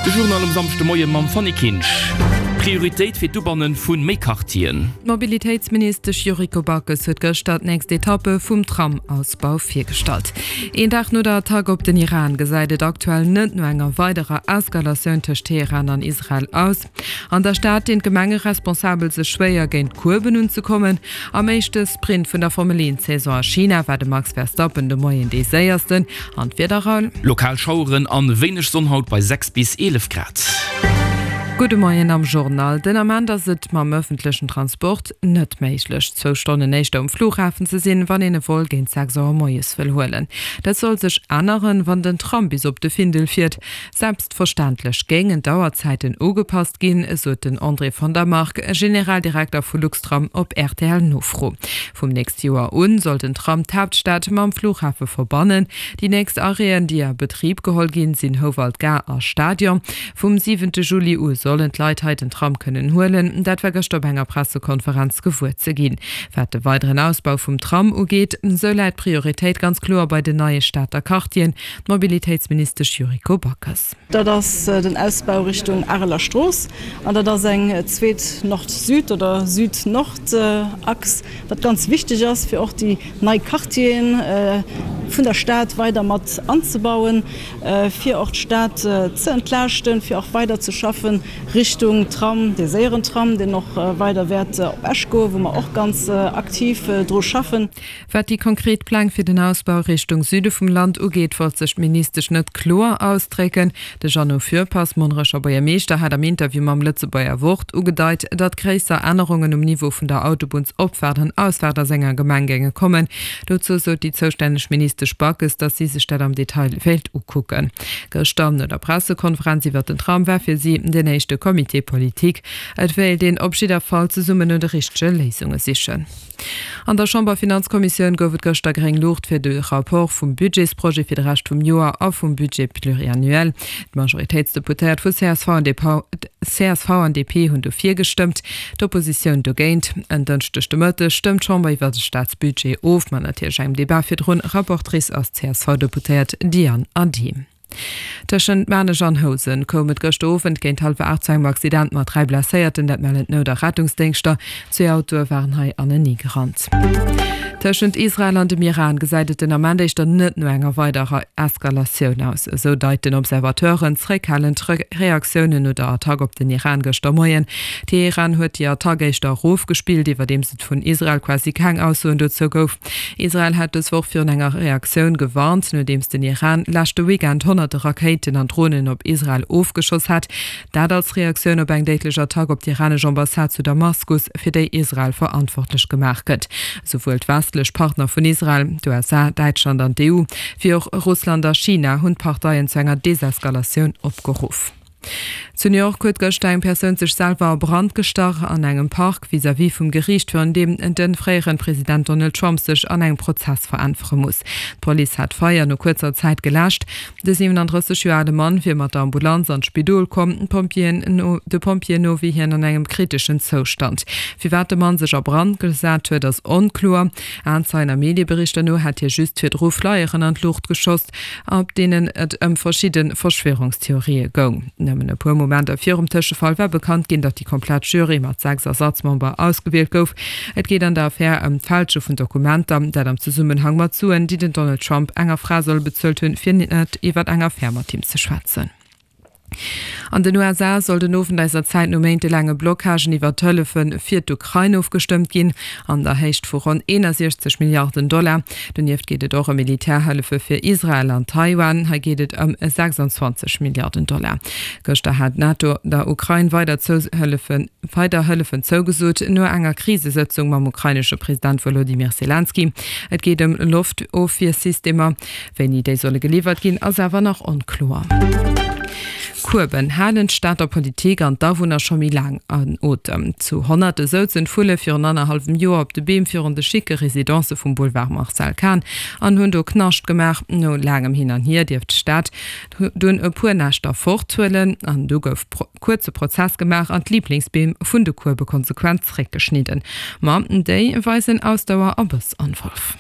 De Journal um Samschdemoie mam Fanny Kinsch. Prioritéit fir d'Ubanne vu méi Quartieren. D'Mobilitéitsministesch Yuriko Backes huet gëschter d'nächst Etappe vum Tram-Ausbau virgestallt. Een Dag no der Attack op den Iran gesäit et aktuell net no enger weiderer Eskalatioun tëscht Teheran an Israel aus. An der Stad dinn d'Gemengeresponsabel sech schwéier, géint d'Kueben unzekommen. Am éischte Sprint vun der Formel 1 Saison a China war de Max Verstappen de Moien dee séiersten. An d'Wieder, Raoul? Lokal Schaueren an wéineg Sonn haut bei 6 bis 11 Grad. Gudde Moien am Journal. Den Ament ass et mam ëffentlechen Transport net méiglech, zwou Stonnen éischter um Flughafen ze sinn, wann een e Vol géint 6 Auer moies wëll huelen. Dat soll sech änneren, wann den Tram bis op de Findel fiert. Selbstverständlech géingen d'Auerzäiten ugepasst ginn, sot den André von der Marck, Generaldirekter vu Luxtram op RTL-Nofro. Vum nächste Joer un soll den Tram d'Haaptstad mam Flughafe verbannen. Déi nächst Arrêten, déi a Betrib geholl ginn, sinn Houwald Gare a Stadion. Vum siwente Juli u sollen d'Leit hei den Tram kënnen huelen. Dat war gëschter op enger Pressekonferenz gewuer ze ginn. Wat de weideren Ausbau vum Tram ugeet, sou läit d'Prioritéit ganz kloer bei den neie Stater Quartieren. D'Mobilitéitsministesch Yuriko Backes. Dat ass den Ausbau Richtung Areler Strooss an dat ass eng zweet Nord-Süd oder Süd-Nord-Achs, wat ganz wichteg ass, fir och déi nei Quartieren vun der Stad weider mat anzebauen, fir och d'Stad ze entlaaschten, fir och weider ze schaffen Richtung Tram, dee séieren Tram, deen och weider wäert op Esch goen, wou mer och ganz aktiv dru schaffen. Wat déi konkret Pläng fir den Ausbau Richtung Süde vum Land ugeet, wollt sech d'Ministesch net kloer ausdrécken. De Jeannot Fürpass, Monnerecher Buergermeeschter, hat am Interview mam Lëtzebuerger Wort ugedeit, datt gréisser Ännerungen um Niveau vun der Autobunnsopfaart an Ausfaart a senger Gemeng géinge kommen. Dozou sot déi zoustänneg Ministesch Backes, datt si sech dat am Detail wéilt ukucken. Gëschter no der Pressekonferenz iwwer den Tram war fir si den éischte Comité politique. Et wéilt een op jidder Fall zesummen no de richtege Léisunge sichen. An der Chamberfinanzkommissioun gouf et gëschter gréng Luucht fir de Rapport vum Budgetsprojet fir de Rescht vum Joer a vum Budget pluriannuel. D'Majoritéitsdeputéiert vu csv an csv an DP hunn dofir gestëmmt, d'Oppositioun dogéint. En Dënschdeg de Mëtteg stëmmt d'Chamber iwwer de Staatsbudget of, mat natierlech engem Debat virdrun. Rapportrice ass d'CSV-Deputéiert Diane Adehm. Tëschent Maarnech an Housen koum et gëschter Owend géint hallwer 8 zu engem Accident mat 3 Blesséierten, dat mellen d'Nout a Rettungsdéngschter. Zwee Autoe waren hei anenee gerannt. Tëschent Israel an dem Iran gesäit et den Ament éischter net no enger weiderer Eskalatioun aus. Esou deiten Observateuren zeréckhalend Reaktiounen no der Attack op den Iran gëschter Moien. Teheran huet déi Attack éischter erofgespillt, iwwerdeems et vun Israel quasi keng Aussoen dozou gouf. Israel hat dës Woch virun enger Reaktioun gewarnt, nodeems den Iran leschte Weekend honnerte Rakéiten an Dronen op Israel ofgeschoss hat. Dat als Reaktioun op eng déidlech Attack op d'iranesch Ambassade zu Damaskus, fir déi Israel verantwortlech gemaach gëtt. Esouwuel d'westlech Partner vun Israel, d'USA, Däitschland an d'EU, wéi och Russland a China hunn d'Parteien zu enger Deseskalatioun opgeruff. Zu New York huet gëschter eng Persoun sech selwer a Brand gestach an engem Park vis-à-vis vum Geriicht, virun deem de fréieren President Donald Trump sech an engem Prozess veräntwere muss. D'Police hat d'Feier no kuerzer Zäit geläscht. De 37 Joer ale Mann wier mat der Ambulanz an d'Spidol komm. De Pompjeeën no wier hien an engem kriteschen Zoustand. Firwat de Mann sech a Brand gesat huet, ass onkloer. Aenzeien a Medieberichter no hätt hie just virdru Flyeren an d'Luucht geschoss. op deenen et ëm verschidde Verschwörungstheorië goung. Nëmmen e puer Momenter virum Tëschefall war bekannt ginn, datt déi komplett Jury mat 6 Ersatzmember ausgewielt gouf. Et geet an der Affär ëm d'Fälsche vun Dokumenter, dat am Zesummenhang mat Suen, déi den Donald Trump enger Fra soll bezuelt hunn, fir net iwwer eng Affär mat him ze schwätzen. An den USA soll den Owend eiser Zäit no méintelaange Blockagen iwwer d'Hëllefe fir d'Ukrain ofgestëmmt ginn, an der Héicht vu ronn 61 Milliarden Dollar. Donieft geet et och ëm Militärhëllefe fir Israel an Taiwan. Hei geet et ëm 26 Milliarden Dollar. Gëschter hat d'NATO der Ukrain weider weider Hëllefen zougesot, no enger Krisesëtzung mam ukrainesche President Wolodymyr Selenskyj. Et geet ëm Loftofwiersystemer. Wéini déi solle geliwwert ginn, ass awer nach onkloer. Kueben halen d'Stater Politik an d'Awunner scho méi laang an Otem. Zu Honnerte souzen d'Vulle virun annerhallwem Joer op de Beem virun de schicke Residencë vum Boulevard Marcel Kahn an hunn do Knascht gemaach. No laangem Hin an Hier dierft d'Stad dunn e puer Näschter forthuelen an du gouf kuerze Prozess gemaach an d'Liblingsbeem vun de Kuebe konsequent zeréckgeschnidden. Ma déi weisen Ausdauer a Bëss an Wolf.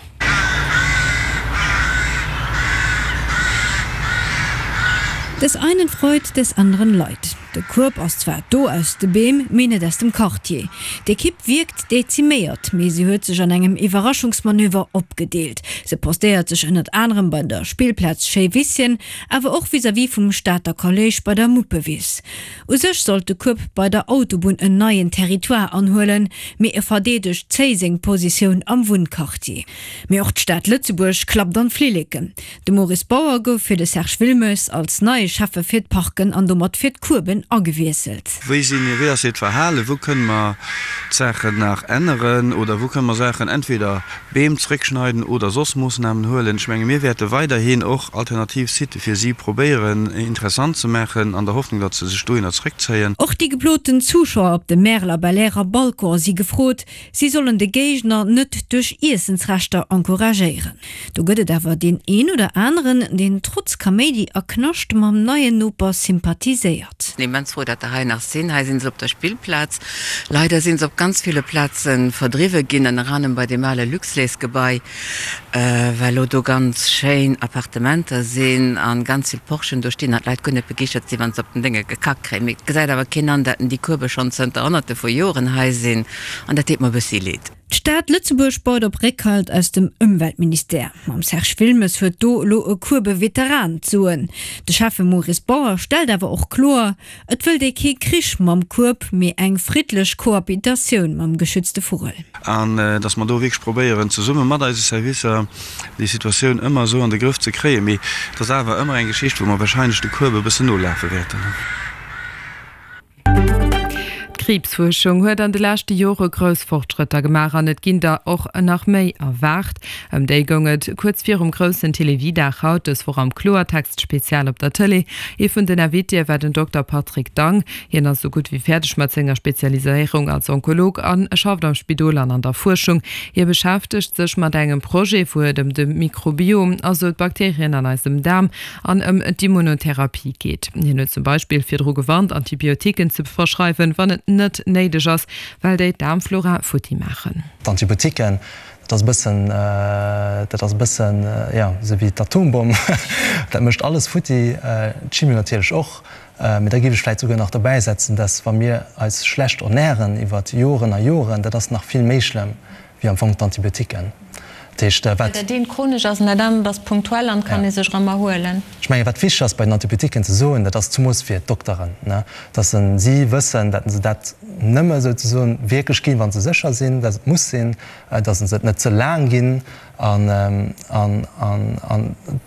Des einen Freud, des anderen Leid. De Kueb ass zwar do aus de Beem, mee net aus dem Quartier. D'Ekipp wierkt deziméiert, mee se huet sech an engem Iwwerraschungsmanöver opgedeelt. Se postéiert sech ënnert anerem bei der Spillplaz Schéiwisschen, awer och vis-à-vis vum Stater Kolléisch bei der Muppewiss. U sech sollt de Kueb bei der Autobunn en neien Territoire anhuelen, mee e verdeedegt zéi seng Positioun am Wunnquartier. Mee och d'Stad Lëtzebuerg klappt an d'Flilleken. De Maurice Bauer gouf fir de Serge Wilmes als neie Schäffe fir d'Parken an domat fir d'Kueben agewiesselt. Wéi sinn, wéi ass hiert Verhalen? Wou kënne mer d'Saachen nach änneren oder wou kënne mer Saachen entweder Beem zréckschneiden oder soss Moossnamen huelen? Ech menge mir wäerte weiderhin och alternativ Sitë fir si probéieren interessant ze maachen, an der Hoffnung, datt se sech dohinner zréckzéien. Och déi geploten Zuschauer op dem Märeler Belair a Balcon si gefrot, Si sollen de Géigner net duerch Iessensreschter encouragéieren. Do gëtt et awer deen een oder aneren, deen trotz Kaméidi a Knascht mam neien Noper sympathiséiert. Sinn immens frou dat der hei nach sinn. Hei sinn se op der Spillplaz. Leider sinn se op ganz ville Plaze verdriwwe ginn, ënner anerem bei deem ale Luxlait-Gebai. Well lo do ganz schéin Appartementer sinn an ganz vill Porschen do stinn an d'Leit guer net begeeschtert sinn, wann se op den Dénge gekackt kréien. Mee et gesäit awer keen an, dat déi Kuebe schonn zënter honnerte vu Joren hei sinn an dat deet mer e bëssi leed. D'Stad Lëtzebuerg baut op Réckhalt aus dem Ëmweltministère. Mam Serge Wilmes huet do elo e Kuebe-Veteran d'Soen. De Schäffe Maurice Bauer stellt awer och kloer, Et wëllt ee kee Krich mam Kueb, mee eng friddlech Cohabitatioun mam geschützte Vugel. An datt mer do wierklech probéieren, zesumme mat eise Servicer déi Situatioun ëmmer esou an de Grëff ze kréien. Mee et ass awer ëmmer eng Geschicht, wou mer wahrscheinlech de Kueb e bëssen nolafe wäerten. D'Kriibsfuerschung huet an de leschte Jore grouss Fortschrëtter gemaach an et ginn der och nach méi erwaart. Ëm déi goung et kuerz virum groussen Télévie-Dag haut dës Woch am Kloertext Spezial op der Tëlee. Ee vun den Invitéë war den Dokter Patrick Dang. Hien ass esou gutt wéi fäerdeg mat senger Spezialiséierung als Onkolog a schafft am Spidol an an der Fuerschung. Hie beschäftegt sech mat engem Projet, wou et ëm de Mikrobiom, also d'Bakterien an eisem Daarm, an ëm d'Immunotherapie geet. Hien huet zum Beispill virdru gewarnt, Antibiotiquen ze verschreiwen, wann et net néideg ass, well déi d'Daarmflora futti maachen. D'Antibiotiquen, dat ass e bëssen, dat ass e bëssen, jo, esou wéi d'Atombomm, dat mécht alles futti, d'Chimio natierlech och. Mee da géif ech vläicht souguer nach dobäisetzen, dass, wa mir eis schlecht ernären iwwer Joren a Joren, dat ass nach vill méi schlëmm wéi am Fong d'Antibiotiquen. Dat heescht, wat. Well dat eent chronesch ass an dat anert ass punktuell an kann ee sech erëm erhuelen. Ech mengen, wat wichteg ass bei den Antibiotiquen ze soen, dat ass zumools fir d'Dokteren, ne, dass si wëssen, dat se dat nëmme souzesoen wierklech ginn, wa se sécher sinn, dass et muss sinn, dass se et net ze laang ginn an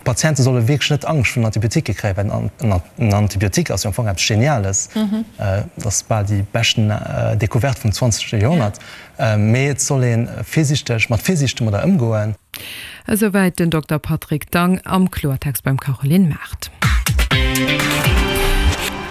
d'Patiente solle wierklech net Angscht virun Antibiotiquë kréien, well en Antibiotique ass jo am Fong eppes Geniales, dat ass bal déi beschten Decouverte vum zwanzegste Joerhonnert. Mee et soll ee virsiichteg, mat Virsiicht domadder ëmgoen. Esouwäit den Dokter Patrick Dang am Kloertext beim Caroline Mart.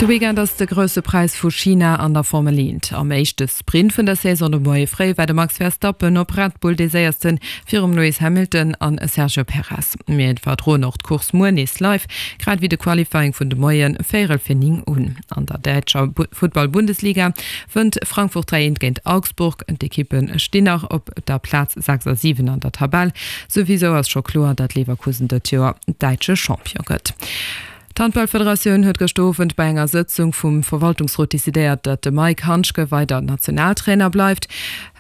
De Weekend ass de Grousse Präis vu China an der Formel Eent. Am éischte Sprint vun der Saison de Moie fréi war de Max Verstappen op Red Bull dee séiersten, virum Lewis Hamilton an Sergio Perez. Mir iwwerdroen och d'Course muer nees live, grad ewéi de Qualifying vun de Moie véierel fir 9 un. An der däitscher Futtball-Bundesliga wënnt Frankfurt 3 eent géint Augsburg. D'Ekippe stinn nach op der Plaz 6 a 7 an der Tabell. Souwisou ass scho kloer, datt Leverkusen dëtt Joer däitsche Champion gëtt. D'Handballfederatioun huet gëschter Owend bei enger Sëtzung vum Verwaltungsrot decidéiert, datt de Maik Handschke weider Nationaltrainer bleift.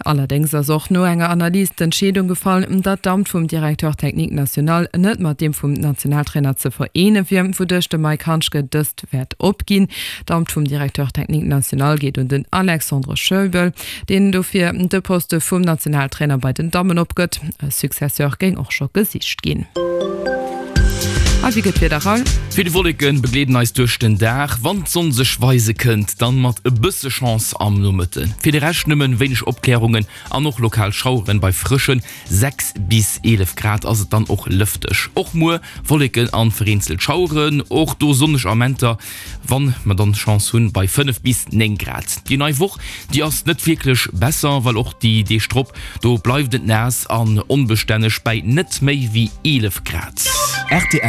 Allerdéngs ass och no enger Analys d'Entscheedung gefall, datt d'Amt vum Directeur technique national net mat deem vum Nationaltrainer ze vereene wier, wouduerch de Maik Handschke dëst wäert opginn. D'Amt vum Directeur technique national geet un den Alexandre Scheubel, deen dofir de Poste vum Nationaltrainer bei den Dammen opgëtt. E Successeur géing och scho gesicht ginn. A wéi gëtt d'Wieder, Raoul? Vill Wolleken begleeden eis duerch den Dag. Wann d'Sonn sech weise kënnt, dann mat e bësse Chance am Nomëtten. Fir de Rescht nëmmen wéineg Opklärungen an och lokal Schaueren. Bei frëschen 6 bis 11 Grad ass et dann och lëfteg. Och muer Wolleken an vereenzelt Schaueren, och do sonneg Amenter, wann mer dann Chance hunn, bei 5 bis 9 Grad. Déi nei Woch, déi ass net wierklech besser, well och déi Deeg drop, do bleift et naass an onbestänneg bäi net méi wéi 11 Grad. Rtl.